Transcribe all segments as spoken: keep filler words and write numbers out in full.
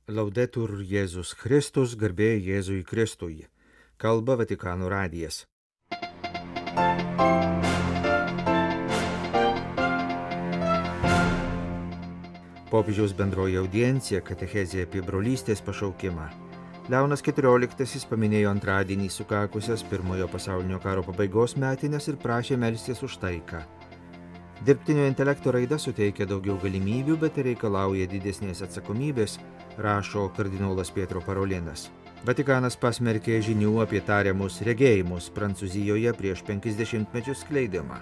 Laudetur Jėzus Kristus, garbė Jėzui Kristui. Kalba Vatikano radijas. Popiežiaus bendroji audiencija katechezė apie brolystės pašaukimą. Leonas keturioliktasis paminėjo antradienį sukakusias pirmojo pasaulinio karo pabaigos metines ir prašė melstis už taiką. Dirbtinio intelekto raida suteikia daugiau galimybių, bet reikalauja didesnės atsakomybės, rašo kardinolas Pietro Parolinas. Vatikanas pasmerkė žinių apie tariamus regėjimus Prancūzijoje prieš penkisdešimtmečius skleidimą.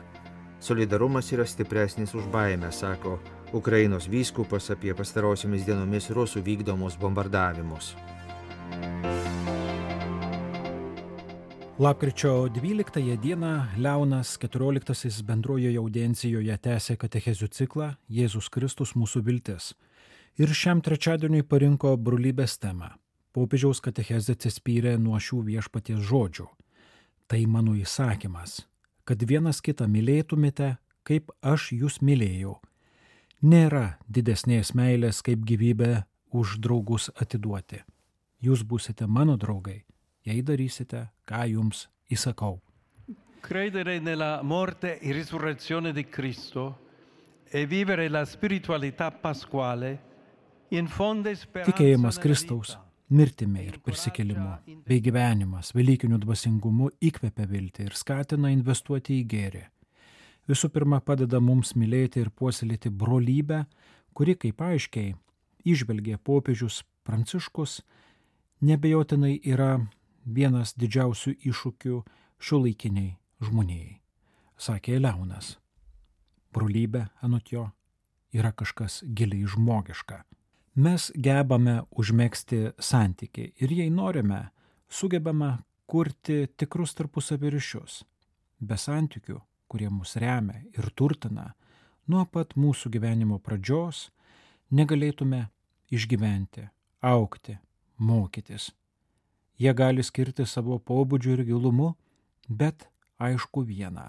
Solidarumas yra stipresnis už baimę, sako Ukrainos vyskupas apie pastarosiomis dienomis rusų vykdomus bombardavimus. Lapkričio dvyliktąją dieną Leonas keturioliktasis bendrojoje audiencijoje tęsė katechezių ciklą Jėzus Kristus mūsų viltis ir šiam trečiadieniui parinko brolybės temą. Popiežiaus katechezė atsispyrė nuo šių viešpaties žodžių. Tai mano įsakymas, kad vienas kitą mylėtumėte, kaip aš jūs mylėjau. Nėra didesnės meilės kaip gyvybę už draugus atiduoti. Jūs būsite mano draugai, jei darysite, ką jums įsakau. Credere nella morte e risurrezione di Cristo e vivere la spiritualità pasquale infonde speranza. Tikėjimas Kristaus mirtimi ir prisikėlimu bei gyvenimas velykiniu dvasingumu įkvepia viltį ir skatina investuoti į gėrį. Visų pirma, padeda mums mylėti ir puoselėti brolybę, kuri, kaip aiškiai įžvelgė popiežius Pranciškus, nebejotinai yra vienas didžiausių iššūkių šiuolaikiniai žmonijai, sakė Leonas. Brolybė, anot jo, yra kažkas giliai žmogiška. Mes gebame užmegzti santykį ir jei norime, sugebame kurti tikrus tarpusavio ryšius. Be santykių, kurie mus remia ir turtina, nuo pat mūsų gyvenimo pradžios negalėtume išgyventi, augti, mokytis. Jie gali skirti savo pobūdžiu ir gilumu, bet aišku viena.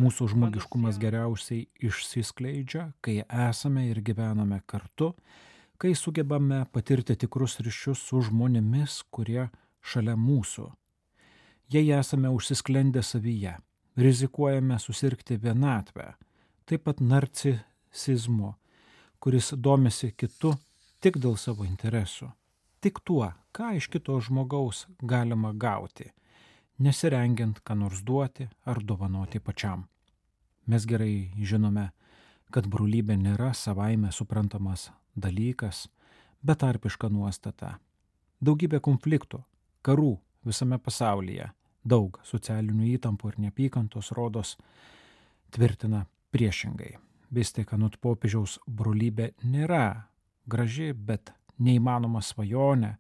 Mūsų žmogiškumas geriausiai išsiskleidžia, kai esame ir gyvename kartu, kai sugebame patirti tikrus ryšius su žmonėmis, kurie šalia mūsų. Jei esame užsisklendę savyje, rizikuojame susirgti vienatvę, taip pat narcisizmu, kuris domisi kitu tik dėl savo interesų, tik tuo, ką iš kito žmogaus galima gauti, nesirengiant ką nors duoti ar dovanoti pačiam. Mes gerai žinome, kad brolybė nėra savaime suprantamas dalykas, betarpiška nuostata. Daugybė konfliktų, karų visame pasaulyje, daug socialinių įtampų ir neapykantos rodos tvirtina priešingai. Vis tik anot popiežiaus brolybė nėra graži, bet neįmanoma svajonė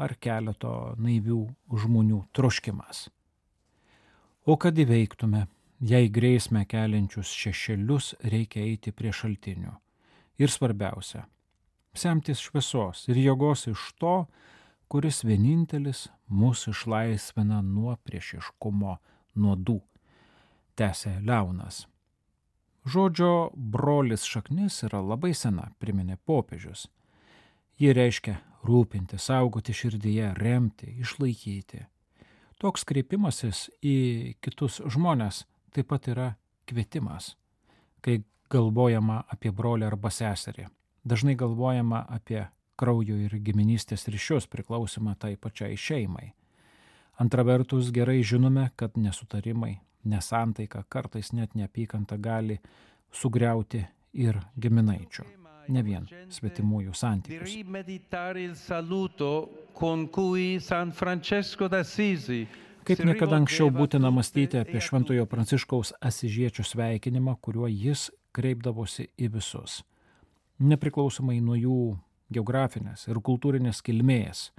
ar keleto naivių žmonių troškimas. O kad įveiktume, jei grėsmę keliančius šešėlius, reikia eiti prie šaltinių. Ir svarbiausia, semtis šviesos ir jėgos iš to, kuris vienintelis mus išlaisvina nuo priešiškumo nuodų, tęsė Leonas. Žodžio brolis šaknis yra labai sena, priminė popiežius. Ji reiškia rūpinti, saugoti širdyje, remti, išlaikyti. Toks kreipimasis į kitus žmones taip pat yra kvietimas. Kai galvojama apie brolį arba seserį, dažnai galvojama apie kraujo ir giminystės ryšius priklausimą tai pačiai šeimai. Antra vertus, gerai žinome, kad nesutarimai, nesantaika, kartais net neapykanta gali sugriauti ir giminaičių, ne vien svetimųjų santykius. Kaip niekada anksčiau būtina mąstyti apie Šventojo Pranciškaus Asižiečio sveikinimą, kuriuo jis kreipdavosi į visus, nepriklausomai nuo jų geografinės ir kultūrinės kilmės,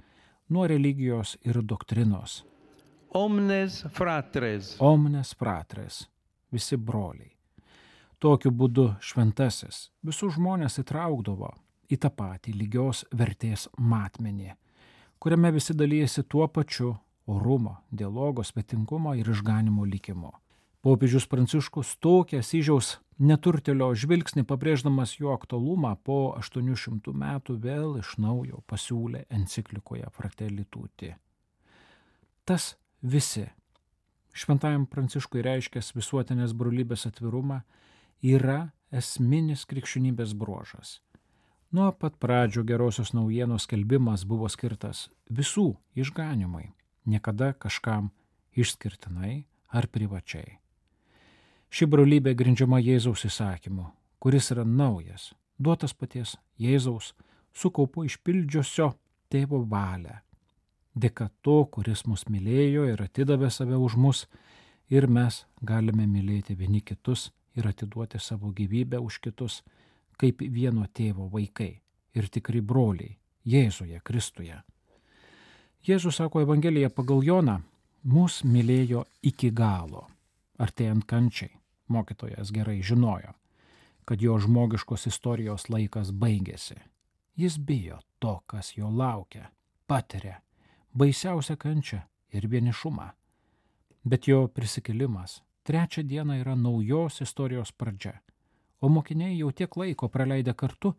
nuo religijos ir doktrinos. Omnes fratres. Omnes fratres, visi broliai. Tokiu būdu šventasis visus žmonės įtraukdavo į tą patį lygios vertės matmenį, kuriame visi dalyjasi tuo pačiu orumo, dialogo, svetingumo ir išganimo likimu. Popiežius Pranciškus tokį Asyžiaus neturtelio žvilgsnį, pabrėždamas jo aktualumą, po aštuonių šimtų metų vėl iš naujo pasiūlė enciklikoje Fratelli Tutti. Tas visi, šventajam Pranciškui reiškęs visuotinės brolybės atvirumą, yra esminis krikščionybės bruožas. Nuo pat pradžių gerosios naujienos skelbimas buvo skirtas visų išganimui, niekada kažkam išskirtinai ar privačiai. Ši brolybė grindžiama Jėzaus įsakymu, kuris yra naujas, duotas paties Jėzaus, su kaupu išpildžiusio tėvo valią. Dėka to, kuris mus mylėjo ir atidavė save už mus, ir mes galime mylėti vieni kitus ir atiduoti savo gyvybę už kitus, kaip vieno tėvo vaikai ir tikri broliai Jėzuje Kristuje. Jėzus sako Evangelija pagal Joną, mus mylėjo iki galo. Artėjant kančiai, mokytojas gerai žinojo, kad jo žmogiškos istorijos laikas baigėsi. Jis bijo to, kas jo laukia, patiria baisiausią kančią ir vienišumą. Bet jo prisikėlimas trečią dieną yra naujos istorijos pradžia, o mokiniai jau tiek laiko praleidę kartu,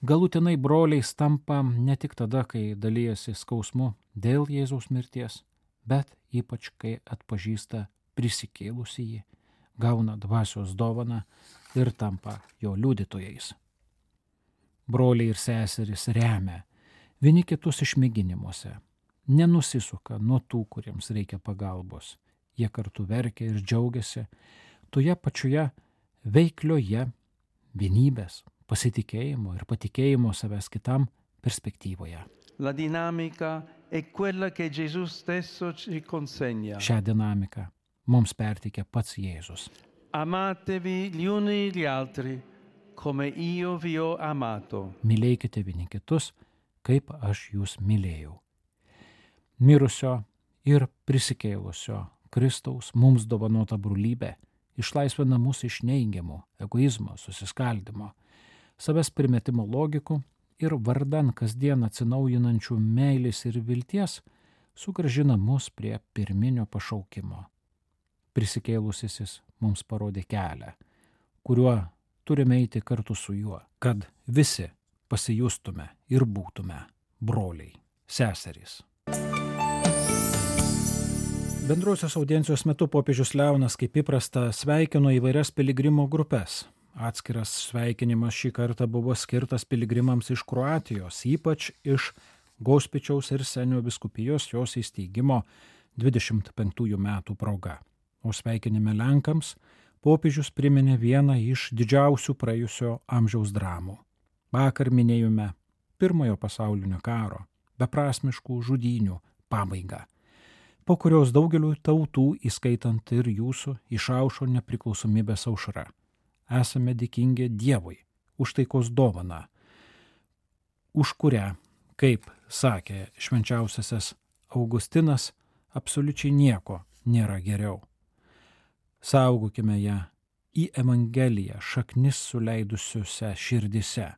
galutinai broliais tampa ne tik tada, kai dalijasi skausmu dėl Jėzaus mirties, bet ypač kai atpažįsta prisikėlusįjį, gauna dvasios dovaną ir tampa jo liudytojais. Broliai ir seserys remia vieni kitus išmėginimuose, nenusisuka nuo tų, kuriems reikia pagalbos. Jie kartu verkia ir džiaugiasi toje pačioje veiklioje vienybės, pasitikėjimo ir patikėjimo savęs kitam perspektyvoje. La dinamica è quella che Gesù stesso ci consegna. Šią dinamiką mums perteikia pats Jėzus. Amatevi gli uni gli altri, come io vi ho amato. Mylėkite vieni kitus, kaip aš jūs mylėjau. Mirusio ir prisikėlusio Kristaus mums dovanota brolybė išlaisvina mus iš neigiamų egoizmo, susiskaldimo, savęs primetimo logikų ir vardan kasdien atsinaujinančių meilės ir vilties sugrąžina mus prie pirminio pašaukimo. Prisikėlusysis mums parodė kelią, kuriuo turime eiti kartu su juo, kad visi pasijustume ir būtume broliai, seserys. Bendrosios audiencijos metu popiežius Leonas kaip įprasta sveikino įvairias piligrimų grupes. Atskiras sveikinimas šį kartą buvo skirtas piligrimams iš Kroatijos, ypač iš Gospičiaus ir Senio vyskupijos jos įsteigimo dvidešimt penktųjų metų proga. O sveikinime Lenkams popiežius priminė vieną iš didžiausių praėjusio amžiaus dramų. Vakar minėjome Pirmojo pasaulinio karo, beprasmiškų žudynių pabaigą, po kurios daugelių tautų, įskaitant ir jūsų, išaušo nepriklausomybės aušra. Esame dėkingi Dievui už taikos dovaną, už kurią, kaip sakė švenčiausiasis Augustinas, absoliučiai nieko nėra geriau. Saugokime ją į Evangeliją šaknis suleidusiuose širdise,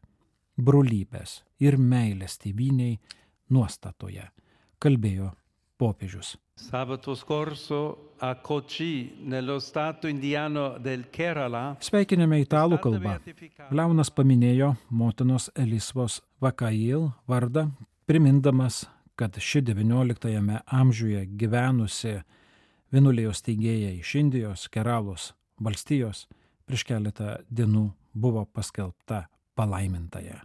brolybės ir meilės tėvynei nuostatoje, kalbėjo popiežius. Sabato scorso a Kochi, nello stato indiano del Kerala. Sveikinime italų kalba. Leonas paminėjo motinos Elisvos Vakail vardą, primindamas, kad ši devynioliktajame amžiuje gyvenusi vienuolijos steigėja iš Indijos, Keralos valstijos, prieš keletą dienų buvo paskelbta palaimintaja.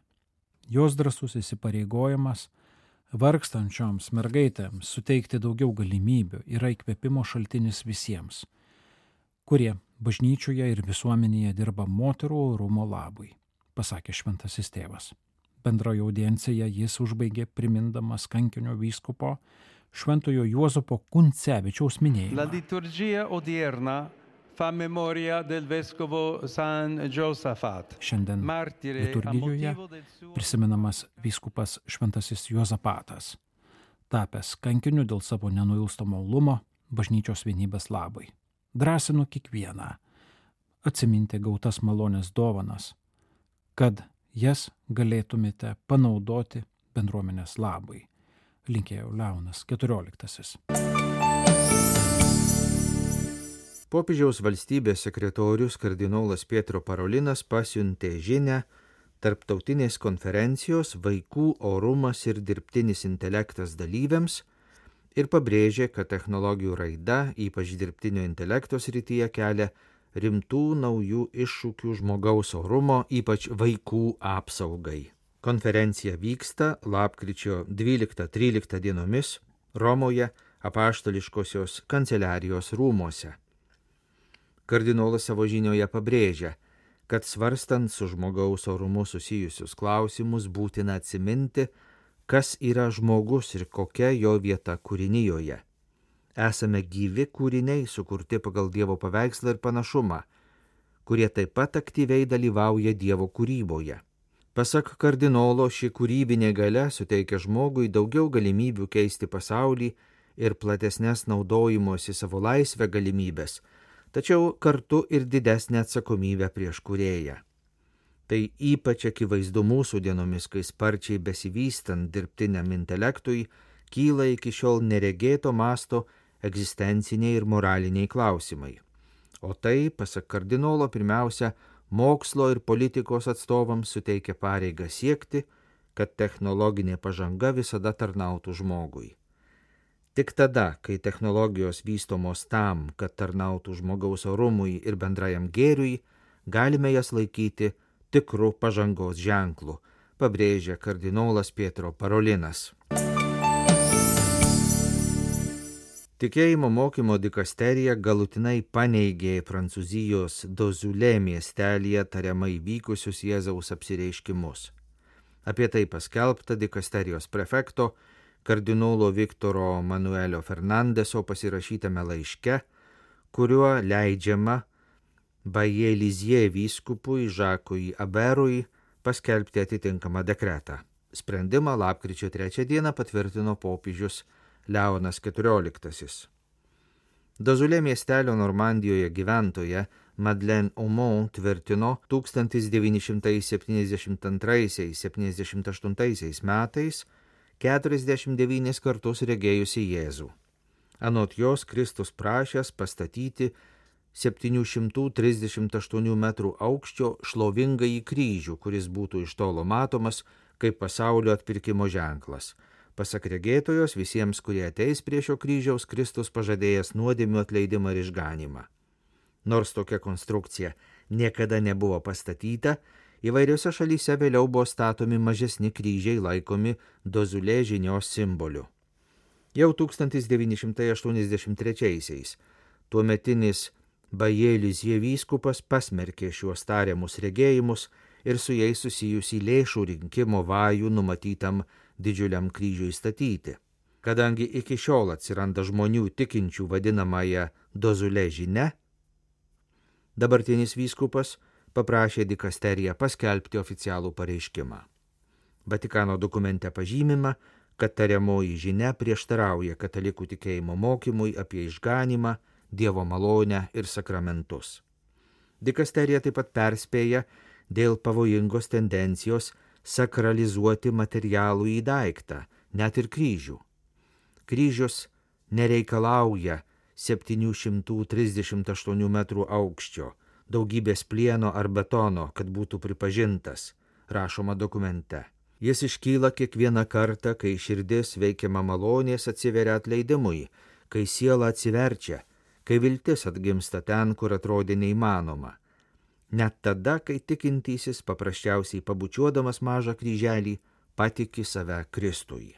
Jos drąsus įsipareigojimas vargstančioms mergaitėms suteikti daugiau galimybių yra įkvėpimo šaltinis visiems, kurie bažnyčioje ir visuomenėje dirba moterų orumo labui, pasakė šventasis tėvas. Bendroje audiencijoje jis užbaigė primindamas kankinio vyskupo šventojo Juozapo Kuncevičiaus minėjimą. La liturgia odierna fa memoria del vescovo San Josafat. Šiandien liturgijoje prisimenamas vyskupas šventasis Juozapatas, tapęs kankiniu dėl savo nenuilstamo uolumo bažnyčios vienybės labui. Drąsinu kiekvieną atsiminti gautas malonės dovanas, kad jas galėtumėte panaudoti bendruomenės labui, linkėjo Leonas keturioliktasis. Popiežiaus valstybės sekretorius kardinolas Pietro Parolinas pasiuntė žinią tarptautinės konferencijos Vaikų orumas ir dirbtinis intelektas dalyviams ir pabrėžė, kad technologijų raida, ypač dirbtinio intelekto srityje, kelia rimtų naujų iššūkių žmogaus orumo, ypač vaikų apsaugai. Konferencija vyksta lapkričio dvyliktą tryliktą dienomis Romoje Apaštališkosios kanceliarijos rūmuose. Kardinolas savo žinioje pabrėžia, kad svarstant su žmogaus orumu susijusius klausimus būtina atsiminti, kas yra žmogus ir kokia jo vieta kūrinijoje. Esame gyvi kūriniai, sukurti pagal Dievo paveikslą ir panašumą, kurie taip pat aktyviai dalyvauja Dievo kūryboje. Pasak kardinolo, ši kūrybinė galia suteikia žmogui daugiau galimybių keisti pasaulį ir platesnės naudojimosi savo laisvę galimybės, tačiau kartu ir didesnę atsakomybę prieš kūrėją. Tai ypač akivaizdu mūsų dienomis, kai sparčiai besivystant dirbtiniam intelektui kyla iki šiol neregėto masto egzistenciniai ir moraliniai klausimai. O tai, pasak kardinolo, pirmiausia, mokslo ir politikos atstovams suteikia pareigą siekti, kad technologinė pažanga visada tarnautų žmogui. Tik tada, kai technologijos vystomos tam, kad tarnautų žmogaus orumui ir bendrajam gėriui, galime jas laikyti tikrų pažangos ženklų, pabrėžia kardinolas Pietro Parolinas. Tikėjimo mokymo dikasterija galutinai paneigė Prancūzijos Dozulė miestelyje tariamai vykusius Jėzaus apsireiškimus. Apie tai paskelbta dikasterijos prefekto kardinolo Viktoro Manuelio Fernandeso pasirašytame laiške, kuriuo leidžiama Baje-Lizie vyskupui Žakui Aberui paskelbti atitinkamą dekretą. Sprendimą lapkričio trečią dieną patvirtino popiežius Leonas keturioliktasis. Dozulė miestelio Normandijoje gyventoja Madeleine Aumont tvirtino tūkstantis devyni šimtai septyniasdešimt antraisiais - septyniasdešimt aštuntaisiais metais keturiasdešimt devynis kartus regėjusi Jėzų. Anot jos Kristus prašęs pastatyti septynių šimtų trisdešimt aštuonių metrų aukščio šlovingąjį kryžių, kuris būtų iš tolo matomas kaip pasaulio atpirkimo ženklas. Pasak regėtojos, visiems, kurie ateis prie šio kryžiaus, Kristus pažadėjęs nuodėmių atleidimą ir išganymą. Nors tokia konstrukcija niekada nebuvo pastatyta, įvairiose šalyse vėliau buvo statomi mažesni kryžiai laikomi Dozulė žinios simboliu. Jau tūkstantis devyni šimtai aštuoniasdešimt trečiaisiais tuometinis Baje-Lizie vyskupas pasmerkė šiuos tariamus regėjimus ir su jais susijusį lėšų rinkimo vajų numatytam didžiuliam kryžiui statyti. Kadangi iki šiol atsiranda žmonių tikinčių vadinamąją Dozulė žinia, dabartinis vyskupas paprašė dikasteriją paskelbti oficialų pareiškimą. Vatikano dokumente pažymima, kad tariamoji žinia prieštarauja katalikų tikėjimo mokymui apie išganymą, Dievo malonę ir sakramentus. Dikasterija taip pat perspėja dėl pavojingos tendencijos sakralizuoti materialų į daiktą, net ir kryžių. Kryžius nereikalauja septynių šimtų trisdešimt aštuonių metrų aukščio, daugybės plieno ar betono, kad būtų pripažintas, rašoma dokumente. Jis iškyla kiekvieną kartą, kai širdis veikiama malonės atsiveria atleidimui, kai siela atsiverčia, kai viltis atgimsta ten, kur atrodė neįmanoma. Net tada, kai tikintysis paprasčiausiai pabučiuodamas mažą kryželį patiki save Kristui.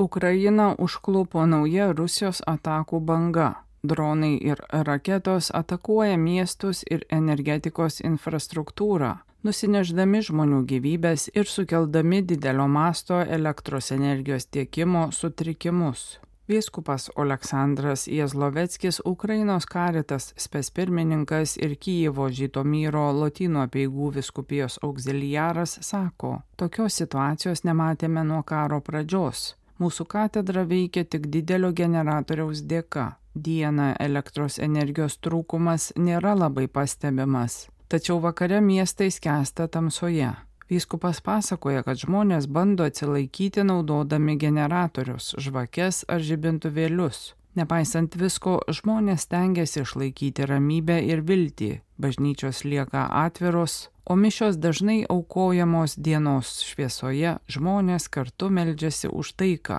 Ukrainą užklupo nauja Rusijos atakų banga. Dronai ir raketos atakuoja miestus ir energetikos infrastruktūrą, nusineždami žmonių gyvybės ir sukeldami didelio masto elektros energijos tiekimo sutrikimus. Vyskupas Oleksandras Jezloveckis, Ukrainos Caritas specpirmininkas ir Kijevo Žytomyro Lotynų apeigų vyskupijos auxiliaras sako, tokios situacijos nematėme nuo karo pradžios. Mūsų katedra veikia tik didelio generatoriaus dėka. Dieną elektros energijos trūkumas nėra labai pastebimas, tačiau vakare miestai skęsta tamsoje. Vyskupas pasakoja, kad žmonės bando atsilaikyti naudodami generatorius, žvakes ar žibintuvėlius. Nepaisant visko, žmonės stengiasi išlaikyti ramybę ir viltį, bažnyčios lieka atviros, o mišios dažnai aukojamos dienos šviesoje, žmonės kartu meldžiasi už taiką.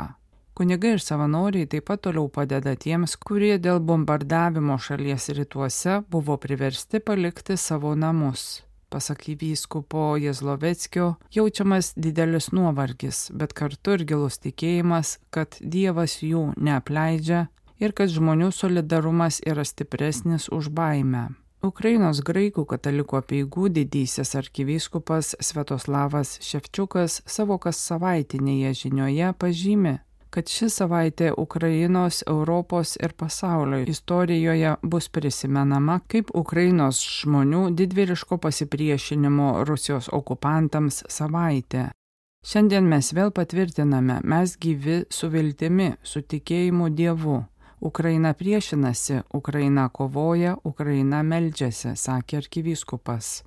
Kunigai ir savanoriai taip pat toliau padeda tiems, kurie dėl bombardavimo šalies rytuose buvo priversti palikti savo namus. Pasak vyskupo Jezloveckio, jaučiamas didelis nuovargis, bet kartu ir gilus tikėjimas, kad Dievas jų neapleidžia ir kad žmonių solidarumas yra stipresnis už baimę. Ukrainos graikų katalikų apeigų didysis arkivyskupas Sviatoslavas Ševčiukas savo kas savaitinėje žinioje pažymi, kad ši savaitė Ukrainos, Europos ir pasaulio istorijoje bus prisimenama kaip Ukrainos žmonių didvyriško pasipriešinimo Rusijos okupantams savaitė. Šiandien mes vėl patvirtiname, mes gyvi su viltimi, su tikėjimu Dievu. Ukraina priešinasi, Ukraina kovoja, Ukraina meldžiasi, sakė arkivyskupas.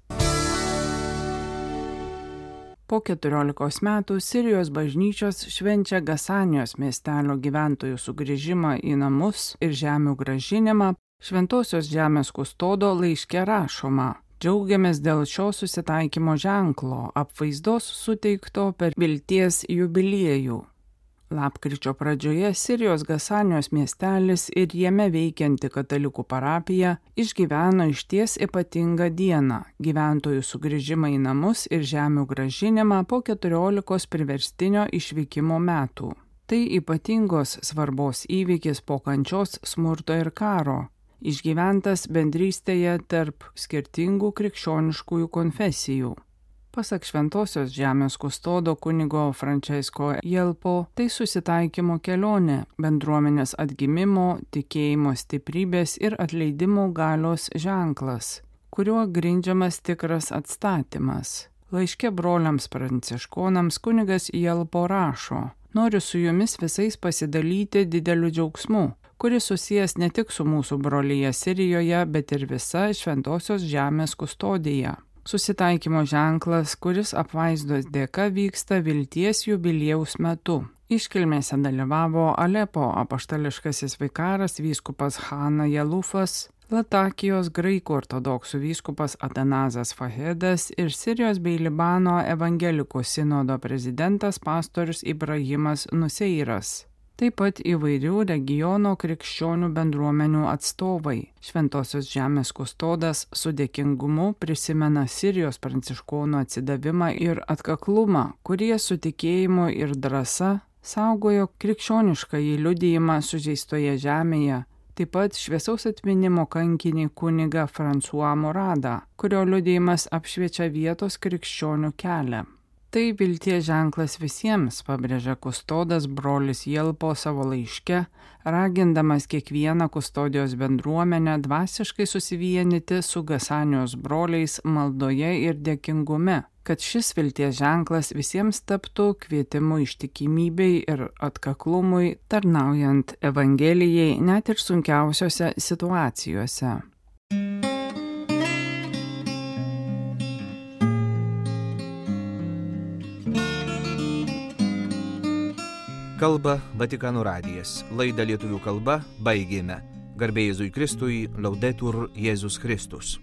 Po keturiolikos metų Sirijos bažnyčios švenčia Gasanijos miestelio gyventojų sugrįžimą į namus ir žemių grąžinimą. Šventosios žemės kustodo laiške rašoma: džiaugiamės dėl šio susitaikymo ženklo, apvaizdos suteikto per vilties jubiliejų. Lapkričio pradžioje Sirijos Gasanijos miestelis ir jame veikianti katalikų parapija išgyveno išties ypatingą dieną – gyventojų sugrįžimą į namus ir žemių grąžinimą po keturiolikos priverstinio išvykimo metų. Tai ypatingos svarbos įvykis po kančios, smurto ir karo, išgyventas bendrystėje tarp skirtingų krikščioniškųjų konfesijų. Pasak Šventosios žemės kustodo kunigo Francesco Jelpo, tai susitaikymo kelionė, bendruomenės atgimimo, tikėjimo stiprybės ir atleidimo galios ženklas, kuriuo grindžiamas tikras atstatymas. Laiške broliams pranciškonams kunigas Jelpo rašo: noriu su jumis visais pasidalyti dideliu džiaugsmu, kuris susijęs ne tik su mūsų brolyje Sirijoje, bet ir visa Šventosios žemės kustodija. Susitaikymo ženklas, kuris apvaizdos dėka vyksta vilties jubiliejaus metu. Iškilmėse dalyvavo Alepo apaštališkasis vikaras vyskupas Hana Jelufas, Latakijos graikų ortodoksų vyskupas Atanazas Fahedas ir Sirijos bei Libano evangelikų sinodo prezidentas pastorius Ibrahimas Nuseiras. Taip pat įvairių regiono krikščionių bendruomenių atstovai. Šventosios žemės kustodas su dėkingumu prisimena Sirijos pranciškonų atsidavimą ir atkaklumą, kurie su tikėjimu ir drąsa saugojo krikščioniškąjį liudijimą sužeistoje žemėje. Taip pat šviesaus atminimo kankinį kunigą François Moradą, kurio liudijimas apšviečia vietos krikščionių kelią. Tai vilties ženklas visiems, pabrėžia kustodas brolis Jelpo savo laiške, ragindamas kiekvieną kustodijos bendruomenę dvasiškai susivienyti su Gasanijos broliais maldoje ir dėkingume, kad šis vilties ženklas visiems taptų kvietimu ištikimybei ir atkaklumui, tarnaujant Evangelijai net ir sunkiausiose situacijose. Kalba Vatikano radijas. Laidą lietuvių kalba baigėme. Garbė Jėzui Kristui, Laudetur Jėzus Kristus.